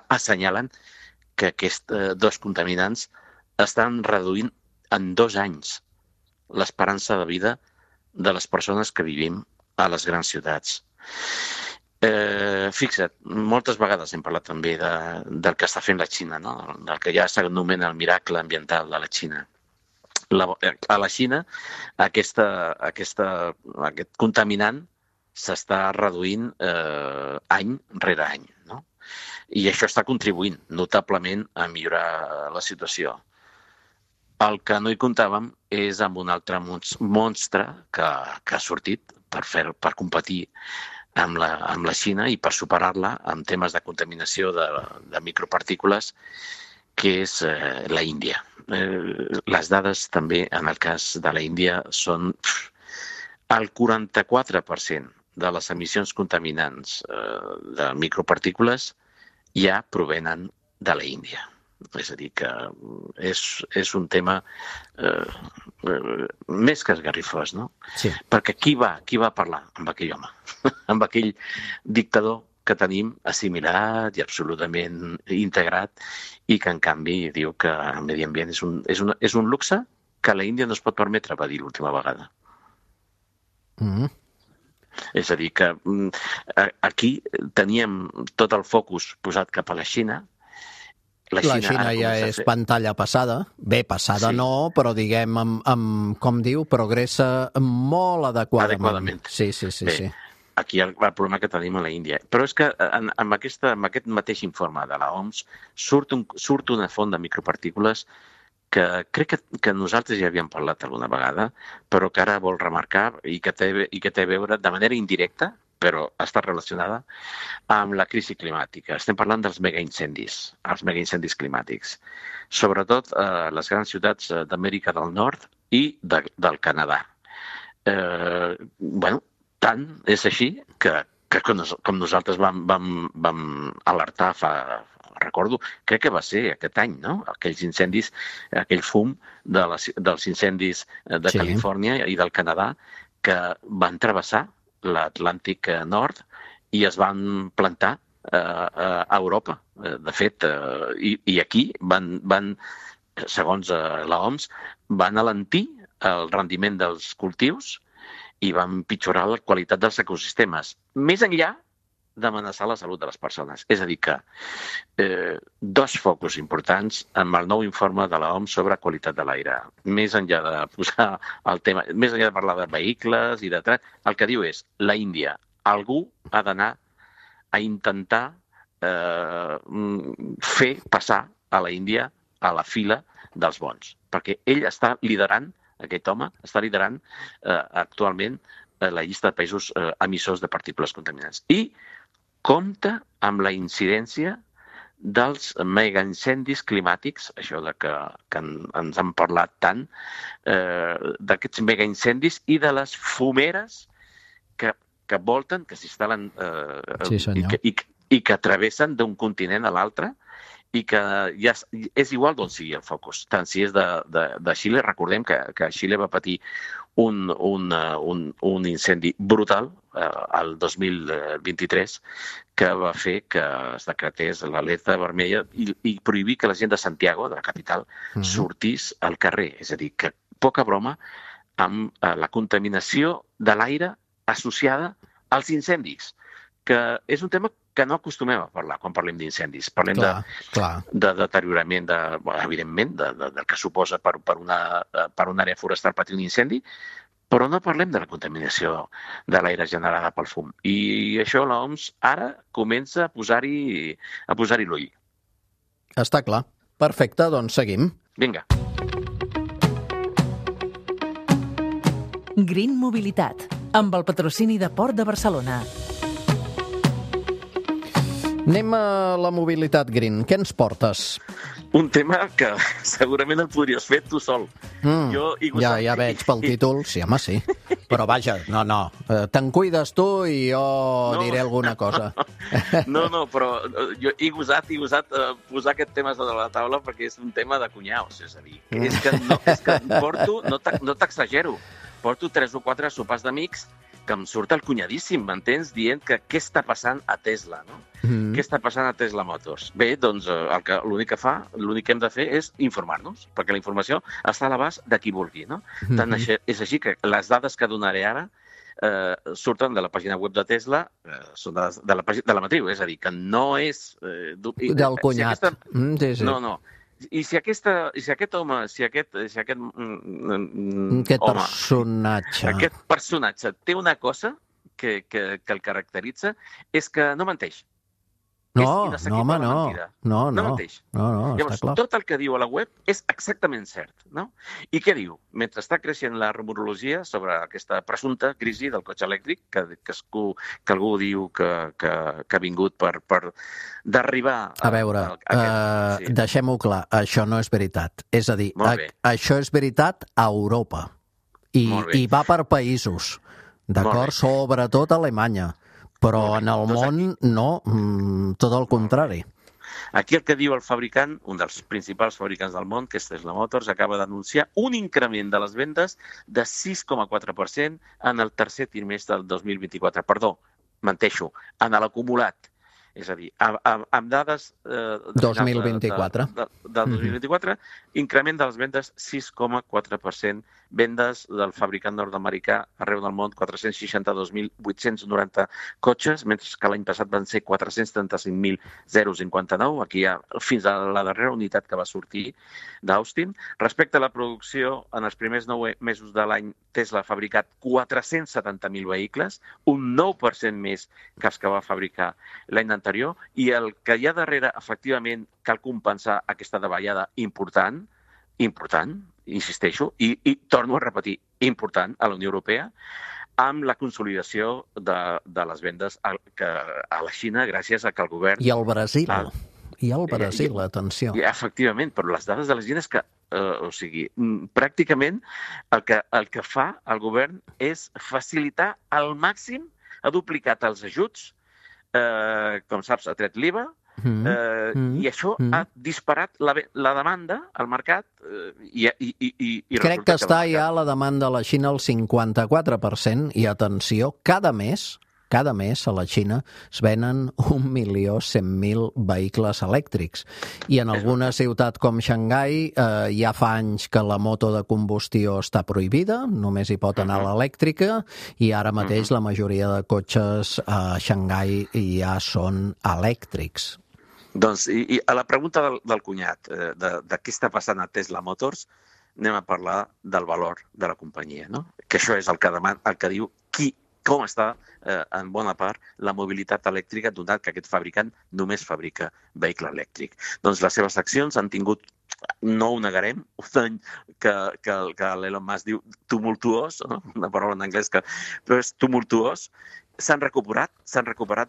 assenyalen que aquests 2 contaminants estan reduint en 2 anys l'esperança de vida de les persones que vivim a les grans ciutats. Fixa't, moltes vegades hem parlat també del que està fent la Xina, no? Del que ja s'anomena el miracle ambiental de la Xina. A la Xina aquest contaminant s'està reduint any rere any, no? I això està contribuint notablement a millorar la situació. El que no hi comptàvem és amb un altre monstre que ha sortit per competir amb la Xina i per superar-la en temes de contaminació de micropartícules, que és la Índia. Les dades també en el cas de la Índia són el 44% de les emissions contaminants de micropartícules ja provenen de la Índia. És a dir, que és un tema més que esgarrifós, no? Sí. Perquè qui va parlar amb aquell home? Amb aquell dictador que tenim assimilat i absolutament integrat i que, en canvi, diu que el medi ambient és un luxe que la Índia no es pot permetre, va dir l'última vegada. És a dir, que aquí teníem tot el focus posat cap a la Xina. La Xina ja és pantalla passada. Bé, passada sí. No, però diguem, com diu, progressa molt adequadament. Sí. Bé, aquí el problema que tenim a la Índia. Però és que amb aquest mateix informe de l'OMS surt una font de micropartícules que crec que nosaltres ja havíem parlat alguna vegada, però que ara vol remarcar i que té a veure de manera indirecta, però està relacionada amb la crisi climàtica. Estem parlant dels megaincendis, els megaincendis climàtics. Sobretot a les grans ciutats d'Amèrica del Nord i del Canadà. Tant és així que com nosaltres vam alertar recordo, crec que va ser aquest any, no? Aquells incendis, aquell fum dels incendis de Califòrnia i del Canadà que van travessar l'Atlàntic Nord i es van plantar a Europa. De fet, i aquí van, segons l'OMS, van alentir el rendiment dels cultius i van empitjorar la qualitat dels ecosistemes, més enllà d'amenaçar la salut de les persones. És a dir que 2 focus importants amb el nou informe de l'OMS sobre qualitat de l'aire. Més enllà de posar el tema, més enllà de parlar de vehicles i de el que diu és la Índia. Algú ha d'anar a intentar fer passar a la Índia a la fila dels bons. Perquè ell està liderant, aquest home, està liderant actualment la llista de països emissors de partícules contaminants. I compta amb la incidència dels megaincendis climàtics, això que ens han parlat tant, d'aquests megaincendis i de les fumeres que volten, que s'instal·len i que travessen d'un continent a l'altre i que ja és igual d'on sigui el focus. Tant si és de Xile, recordem que Xile va patir un incendi brutal el 2023 que va fer que es decretés l'alerta vermella i prohibir que la gent de Santiago, de la capital, sortís al carrer. És a dir, que poca broma amb la contaminació de l'aire associada als incendis, que és un tema que no acostumem a parlar quan parlem d'incendis. Parlem de deteriorament, evidentment, del que suposa per una àrea forestal patir un incendi, Però no parlem de la contaminació de l'aire generada pel fum. I això l'OMS ara comença a posar-hi l'ull. Està clar. Perfecte, doncs seguim. Vinga. Green Mobilitat, amb el patrocini de Port de Barcelona. Anem a la mobilitat green. Què ens portes? Un tema que segurament el podries fer tu sol. Jo, ja veig pel títol. Sí, home, sí. Però vaja, no. Te'n cuides tu i jo diré alguna cosa. No, però jo he gosat posar aquest tema sobre la taula perquè és un tema de cunyaus. És a dir, és que porto, no t'exagero, porto 3 o 4 sopars d'amics que em surt el cunyadíssim, m'entens? Dient que què està passant a Tesla, no? Què està passant a Tesla Motors? Bé, doncs l'únic que hem de fer és informar-nos, perquè la informació està a l'abast de qui vulgui, no? Tant és així que les dades que donaré ara surten de la pàgina web de Tesla, són de la matriu, és a dir, que no és... del cunyat. Sí. No. I si aquest personatge té una cosa que el caracteritza, és que no menteix. No, home, no. No menteix. No, llavors, està clar. tot el que diu a la web és exactament cert, no? I què diu? Mentre està creixent la rumorologia sobre aquesta presumpta crisi del cotxe elèctric, que algú diu que ha vingut per d'arribar... A veure, deixem-ho clar, això no és veritat. És a dir, això és veritat a Europa. I va per països, d'acord? Sobretot a Alemanya. Però en el món no, tot el contrari. Aquí el que diu el fabricant, un dels principals fabricants del món, que és Tesla Motors, acaba d'anunciar un increment de les vendes de 6,4% en el tercer trimestre del 2024. Perdó, menteixo, en l'acumulat. És a dir, amb dades... 2024. Del 2024, increment de les vendes 6,4%. Vendes del fabricant nord-americà arreu del món, 462.890 cotxes, mentre que l'any passat van ser 435.059, aquí hi ha fins a la darrera unitat que va sortir d'Austin. Respecte a la producció, en els primers 9 mesos de l'any, Tesla ha fabricat 470.000 vehicles, un 9% més que els que va fabricar l'any anterior, i el que hi ha darrere, efectivament, cal compensar aquesta davallada important, insisteixo, i torno a repetir, important a la Unió Europea, amb la consolidació de les vendes a la Xina gràcies a que el govern... I al Brasil. Atenció. Efectivament, però les dades de la Xina és que, pràcticament el que fa el govern és facilitar al màxim, ha duplicat els ajuts, com saps, ha tret l'IVA, i això ha disparat la demanda al mercat i crec que està ja la demanda a la Xina al 54% i atenció, cada mes a la Xina es venen 1.100.000 vehicles elèctrics i en alguna ciutat com Xangai ja fa anys que la moto de combustió està prohibida, només hi pot anar l'elèctrica i ara mateix la majoria de cotxes a Xangai ja són elèctrics. Doncs, i a la pregunta del cunyat, de què està passant a Tesla Motors, anem a parlar del valor de la companyia, no? Que això és el que diu com està, en bona part, la mobilitat elèctrica, donat que aquest fabricant només fabrica vehicle elèctric. Doncs les seves accions han tingut, no ho negarem, un any que l'Elon Musk diu tumultuós, no? Una paraula en anglès però és tumultuós. S'han recuperat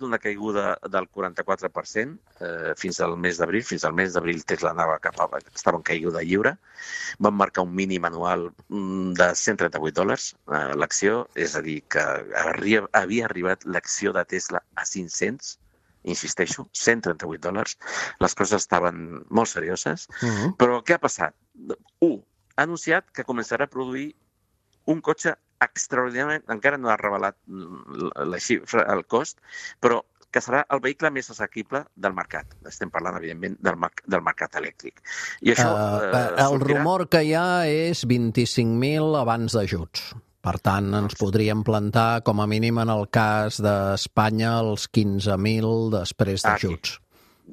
una caiguda del 44% fins al mes d'abril. Fins al mes d'abril Tesla estava en caiguda lliure. Van marcar un mínim anual de $138 l'acció, és a dir, que havia arribat l'acció de Tesla a 500, insisteixo, $138. Les coses estaven molt serioses. Però què ha passat? Ha anunciat que començarà a produir un cotxe extraordinàriament, encara no ha revelat la xifra, el cost, però que serà el vehicle més assequible del mercat. Estem parlant, evidentment, del mercat elèctric. I això el rumor que hi ha és 25.000 abans d'ajuts. Per tant, ens podríem plantar, com a mínim en el cas d'Espanya, els 15.000 després d'ajuts.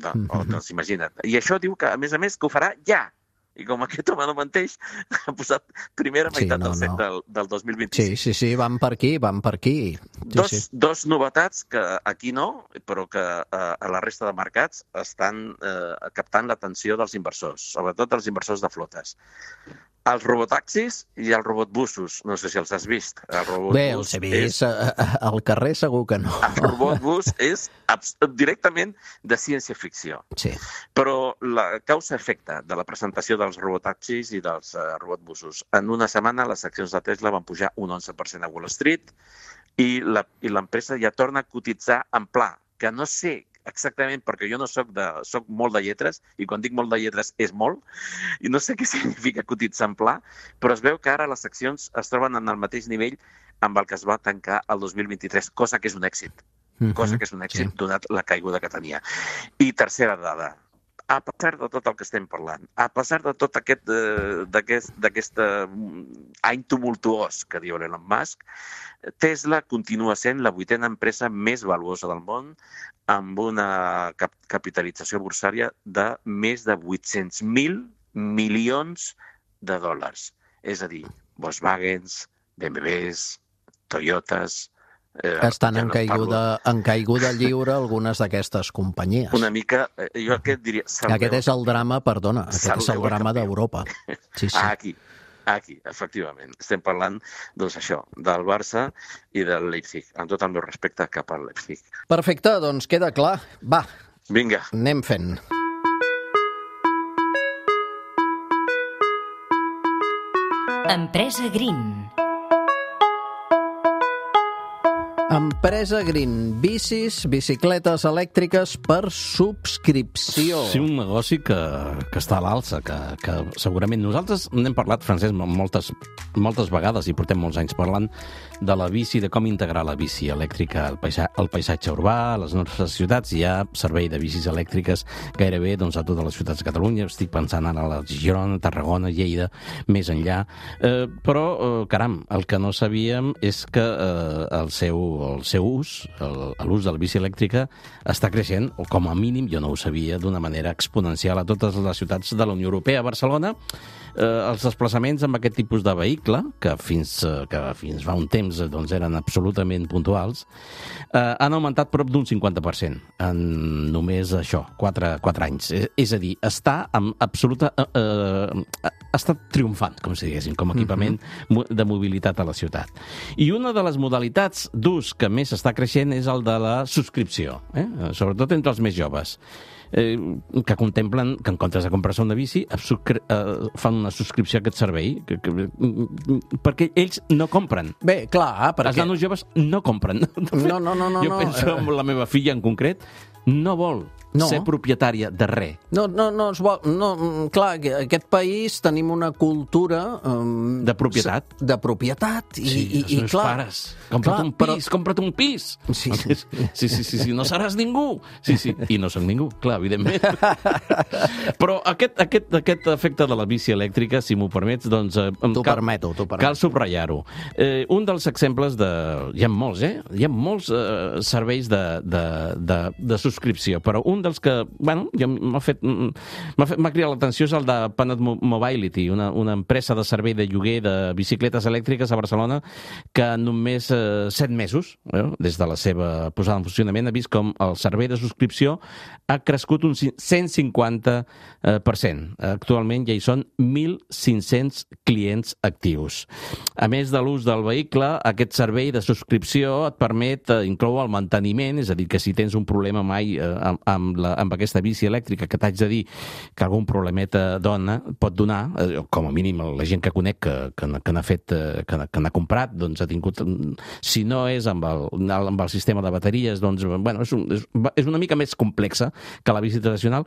Doncs imagina't. I això diu que, a més, que ho farà ja. I com aquest home no menteix, ha posat primera meitat del 2026. Sí, van per aquí. Dos novetats que aquí no, però que a la resta de mercats estan captant l'atenció dels inversors, sobretot dels inversors de flotes. Els robotaxis i els robotbusos. No sé si els has vist. Bé, els he vist. Al carrer segur que no. El robotbus és directament de ciència-ficció. Sí. Però la causa-efecte de la presentació dels robotaxis i dels robotbusos. En una setmana les accions de Tesla van pujar un 11% a Wall Street i l'empresa ja torna a cotitzar en pla, que no sé exactament, perquè jo no soc molt de lletres, i quan dic molt de lletres és molt, i no sé què significa cotitzar en pla, però es veu que ara les accions es troben en el mateix nivell amb el que es va tancar el 2023, cosa que és un èxit. Donat la caiguda que tenia. I tercera dada, a pesar de tot el que estem parlant, a pesar de tot d'aquest any tumultuós que diu Elon Musk, Tesla continua sent la 8ª empresa més valuosa del món amb una capitalització borsària de més de 800.000 milions de dòlars. És a dir, Volkswagens, BMWs, Toyotas... Estan en caiguda lliure algunes d'aquestes companyies. Una mica, jo aquest diria... Aquest és el drama, perdona, aquest és el drama d'Europa. Sí. Aquí, efectivament. Estem parlant, doncs això, del Barça i del Leipzig, amb tot el meu respecte cap al Leipzig. Perfecte, doncs queda clar. Va, vinga. Anem fent. Empresa Green. Empresa Green, bicicletes elèctriques per subscripció. Sí, un negoci que està a l'alça, que segurament nosaltres n'hem parlat, Francesc, moltes vegades, i portem molts anys parlant de la bici, de com integrar la bici elèctrica al paisatge urbà, a les nostres ciutats. Hi ha servei de bicis elèctriques gairebé a totes les ciutats de Catalunya. Estic pensant ara a la Girona, Tarragona, Lleida, més enllà. Però, caram, el que no sabíem és que el seu ús, l'ús de la bici elèctrica, està creixent, o com a mínim, jo no ho sabia, d'una manera exponencial a totes les ciutats de la Unió Europea. A Barcelona, els desplaçaments amb aquest tipus de vehicle, que fins fa un temps eren absolutament puntuals, han augmentat prop d'un 50% en només això, 4 anys. És a dir, està triomfant, com si diguéssim, com a equipament de mobilitat a la ciutat. I una de les modalitats d'ús que més està creixent és el de la subscripció, sobretot entre els més joves, que contemplen que en comptes de comprar-se una bici fan una subscripció a aquest servei perquè ells no compren. Bé, clar, perquè... Els nanos joves no compren. No. Jo penso en la meva filla en concret, no vol ser propietària de res. No es vol... Clar, aquest país tenim una cultura... de propietat. De propietat. Sí, els meus pares. Compra't un pis. Sí, no seràs ningú. Sí, i no soc ningú, clar, evidentment. Però aquest efecte de la bici elèctrica, si m'ho permets, doncs... T'ho permeto. Cal subratllar-ho. Un dels exemples de... Hi ha molts, Hi ha molts serveis de subscripció, però un dels que, m'ha cridat l'atenció és el de Planet Mobility, una empresa de servei de lloguer de bicicletes elèctriques a Barcelona que en només 7 mesos, des de la seva posada en funcionament, ha vist com el servei de subscripció ha crescut un 150%. Actualment ja hi són 1.500 clients actius. A més de l'ús del vehicle, aquest servei de subscripció et permet incloure el manteniment, és a dir, que si tens un problema mai amb aquesta bici elèctrica, que t'haig de dir que algun problemeta pot donar, com a mínim la gent que conec que n'ha comprat, doncs ha tingut, si no és amb el sistema de bateries, doncs, és una mica més complexa que la bici tradicional.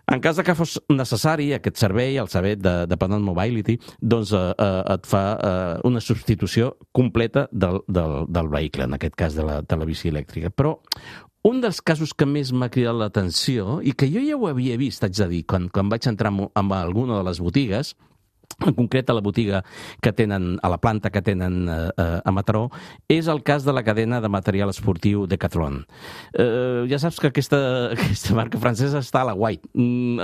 En cas que fos necessari aquest servei, el servei de Planet Mobility, doncs et fa una substitució completa del vehicle, en aquest cas de la bici elèctrica. Però un dels casos que més m'ha cridat l'atenció, i que jo ja ho havia vist, haig de dir, quan vaig entrar en alguna de les botigues, en concret a la botiga que tenen, a la planta que tenen a Mataró, és el cas de la cadena de material esportiu Decathlon. Ja saps que aquesta marca francesa està a la guai.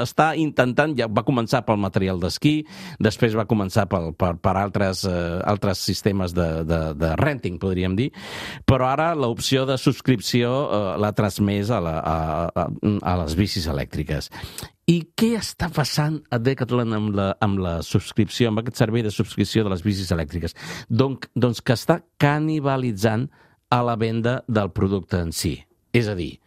Està intentant, ja va començar pel material d'esquí, després va començar per altres sistemes de renting, podríem dir, però ara l'opció de subscripció l'ha transmès a les bicis elèctriques. I què està passant a Decathlon amb la subscripció, amb aquest servei de subscripció de les bicis elèctriques? Doncs que està canibalitzant a la venda del producte en si. És a dir,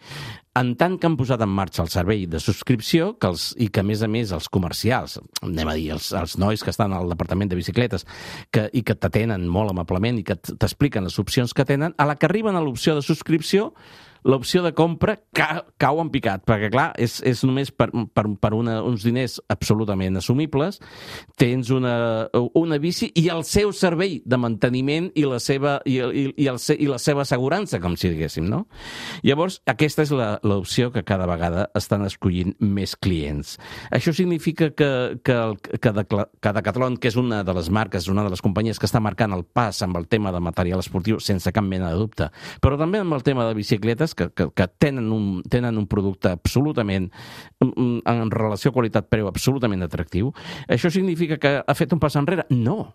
en tant que han posat en marxa el servei de subscripció i que, a més, els comercials, anem a dir, els nois que estan al departament de bicicletes i que t'atenen molt amablement i que t'expliquen les opcions que tenen, a la que arriben a l'opció de subscripció, l'opció de compra cau en picat, perquè, clar, és només per uns diners absolutament assumibles, tens una bici i el seu servei de manteniment i la seva assegurança, com si diguéssim, no? Llavors, aquesta és l'opció que cada vegada estan escollint més clients. Això significa que Decathlon, que és una de les marques, una de les companyies que està marcant el pas amb el tema de material esportiu sense cap mena de dubte, però també amb el tema de bicicletes, que tenen un producte absolutament, en relació qualitat-preu, absolutament atractiu. Això significa que ha fet un pas enrere? No,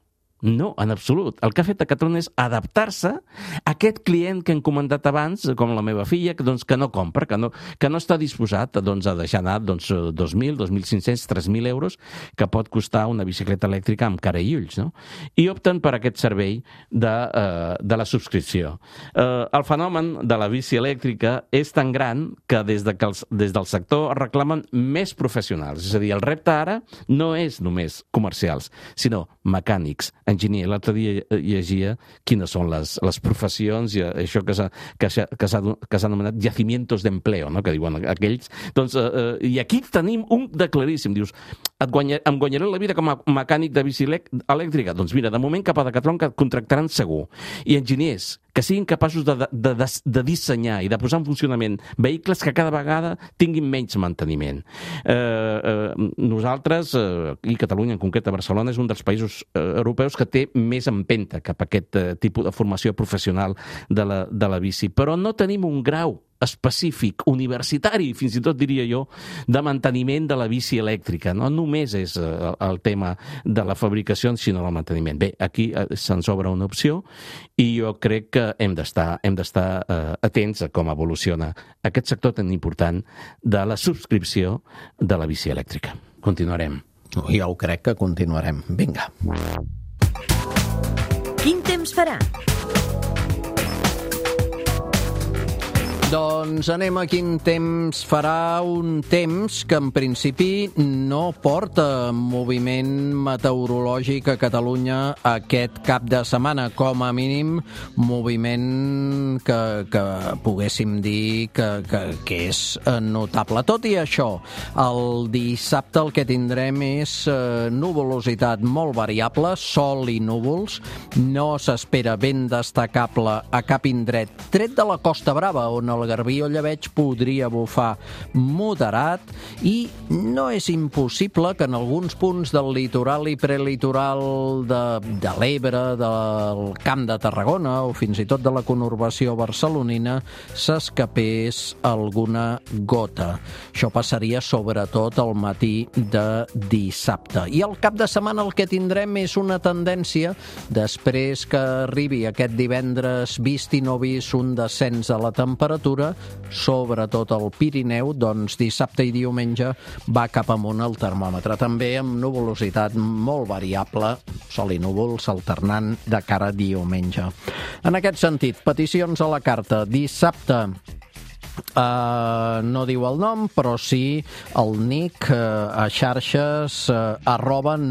en absolut. El que ha fet Decathlon és adaptar-se a aquest client que hem comentat abans, com la meva filla, que no compra, que no està disposat a deixar anar 2.000, 2.500, 3.000 euros que pot costar una bicicleta elèctrica amb cara i ulls, no? I opten per aquest servei de la subscripció. El fenomen de la bici elèctrica és tan gran que des del sector es reclamen més professionals. És a dir, el repte ara no és només comercials, sinó mecànics, enginyer. L'altre dia llegia quines són les professions i això que s'ha anomenat yacimientos d'empleo, no? Que diuen aquells. Doncs, i aquí tenim un de claríssim. Dius, em guanyaré la vida com a mecànic de bici elèctrica? Doncs mira, de moment cap a Decathlon que et contractaran segur. I enginyers que siguin capaços de dissenyar i de posar en funcionament vehicles que cada vegada tinguin menys manteniment. Nosaltres, i Catalunya, en concret a Barcelona, és un dels països europeus que té més empenta cap a aquest tipus de formació professional de la bici, però no tenim un grau específic, universitari, fins i tot diria jo, de manteniment de la bici elèctrica. No només és el tema de la fabricació, sinó del manteniment. Bé, aquí se'ns obre una opció i jo crec que hem d'estar atents a com evoluciona aquest sector tan important de la subscripció de la bici elèctrica. Continuarem. Jo ho crec que continuarem. Vinga. Quin temps farà? Doncs anem a quin temps farà. Un temps que en principi no porta moviment meteorològic a Catalunya aquest cap de setmana, com a mínim moviment que poguéssim dir que és notable. Tot i això, el dissabte el que tindrem és nuvolositat molt variable, sol i núvols, no s'espera vent destacable a cap indret, tret de la Costa Brava, on el Garbí o Llebeig podria bufar moderat, i no és impossible que en alguns punts del litoral i prelitoral de l'Ebre, del Camp de Tarragona o fins i tot de la conurbació barcelonina s'escapés alguna gota. Això passaria sobretot al matí de dissabte. I al cap de setmana el que tindrem és una tendència, després que arribi aquest divendres vist i no vist un descens de la temperatura, sobretot al Pirineu, doncs dissabte i diumenge va cap amunt el termòmetre. També amb nuvolositat molt variable, sol i núvols alternant de cara a diumenge. En aquest sentit, peticions a la carta. Dissabte, no diu el nom, però sí el nick a xarxes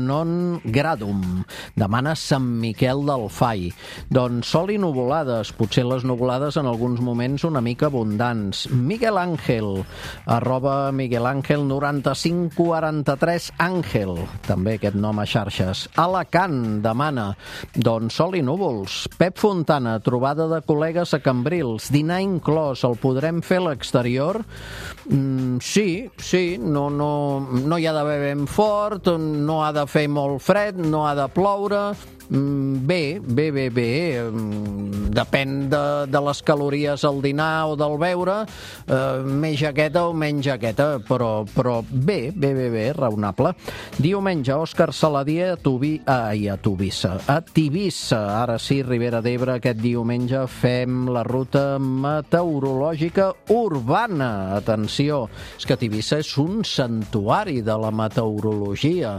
@nongradum. Demana Sant Miquel del Fai. Doncs sol i nuvolades, potser les nuvolades en alguns moments una mica abundants. Miguel Ángel, @miguelangel9543 Àngel, també aquest nom a xarxes. Alacant demana, doncs sol i núvols. Pep Fontana, trobada de col·legues a Cambrils, dinar inclòs, el podrem fer fer a l'exterior? Sí, no hi ha d'haver vent fort, no ha de fer molt fred, no ha de ploure. Bé. Depèn de les calories al dinar o del beure, més jaqueta o menys jaqueta, però bé, raonable. Diumenge, Òscar Saladier a Tivissa. Ara sí, Ribera d'Ebre, aquest diumenge fem la ruta meteorològica urbana. Atenció, és que Tivissa és un santuari de la meteorologia.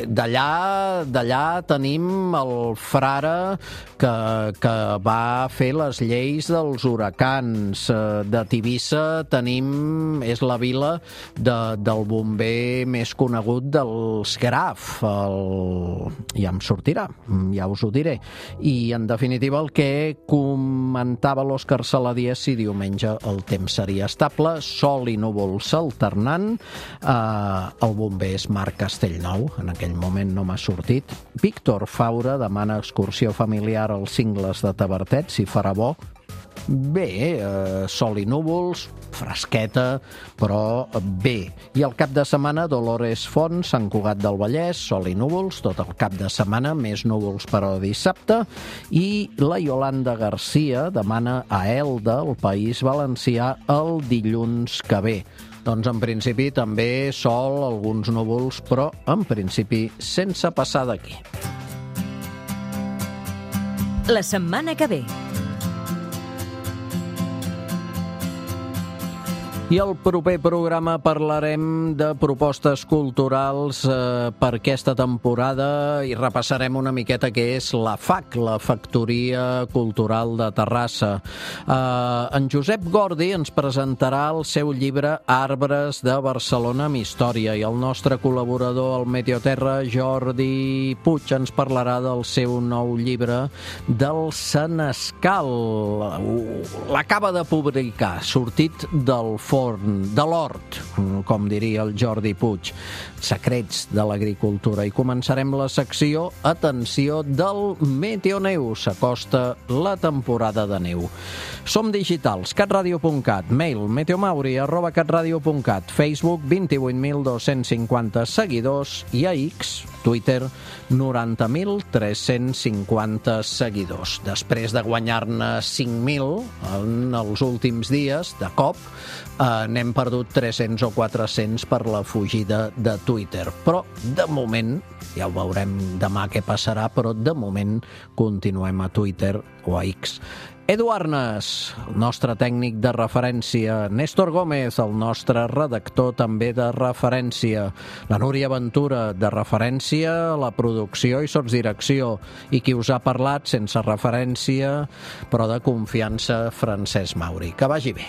D'allà tenim el frare que va fer les lleis dels huracans. De Tivissa és la vila del bomber més conegut dels Graf. Ja em sortirà, ja us ho diré. I, en definitiva, el que comentava l'Òscar Saladier, si diumenge el temps seria estable, sol i núvols alternant. El bomber és Marc Castellnou, en aquell moment no m'ha sortit. Víctor Faura demana excursió familiar als Cingles de Tavertet, si farà bo. Bé, sol i núvols, fresqueta, però bé. I el cap de setmana, Dolores Font, Sant Cugat del Vallès, sol i núvols, tot el cap de setmana, més núvols però dissabte. I la Yolanda Garcia demana a Elda, el País Valencià, el dilluns que ve. Doncs en principi també sol, alguns núvols, però en principi sense passar d'aquí. La setmana que ve. I al proper programa parlarem de propostes culturals per aquesta temporada i repassarem una miqueta què és la FAC, la Factoria Cultural de Terrassa. En Josep Gordi ens presentarà el seu llibre Arbres de Barcelona amb història i el nostre col·laborador al Meteoterra, Jordi Puig, ens parlarà del seu nou llibre del Senescal. L'acaba de publicar, sortit del de l'hort, com diria el Jordi Puig, secrets de l'agricultura. I començarem la secció, atenció, del Meteoneu. S'acosta la temporada de neu. Som digitals, catradio.cat, mail meteomauri@catradio.cat, Facebook 28.250 seguidors i a X, Twitter, 90.350 seguidors. Després de guanyar-ne 5.000 en els últims dies, de cop, n'hem perdut 300 o 400 per la fugida de Twitter. Però, de moment, ja ho veurem demà què passarà, però de moment continuem a Twitter o a X. Edu Arnes, el nostre tècnic de referència, Néstor Gómez, el nostre redactor també de referència, la Núria Ventura, de referència, la producció i sotsdirecció, i qui us ha parlat sense referència, però de confiança, Francesc Mauri. Que vagi bé.